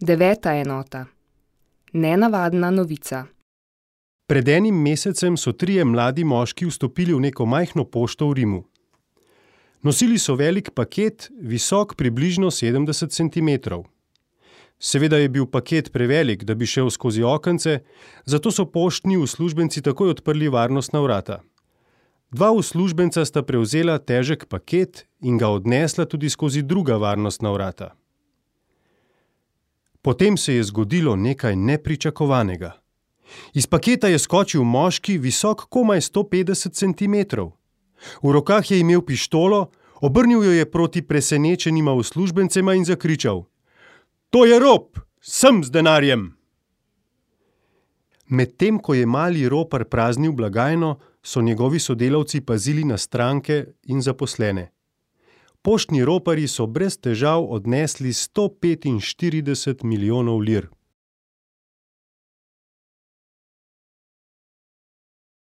Deveta enota. Nenavadna novica. Pred enim mesecem so 3 mladi moški vstopili v neko majhno pošto v Rimu. Nosili so velik paket, visok približno 70 centimetrov. Seveda je bil paket prevelik, da bi šel skozi okence, zato so poštni uslužbenci takoj odprli varnostna vrata. 2 uslužbenca sta prevzela težek paket in ga odnesla tudi skozi druga varnostna vrata. Potem se je zgodilo nekaj nepričakovanega. Iz paketa je skočil moški, visok komaj 150 centimetrov. V rokah je imel pištolo, obrnil jo je proti presenečenima uslužbencema in zakričal: "To je rop! Sem z denarjem!" Medtem ko je mali ropar praznil blagajno, so njegovi sodelavci pazili na stranke in zaposlene. Poštni roparji so brez težav odnesli 145 milijonov lir.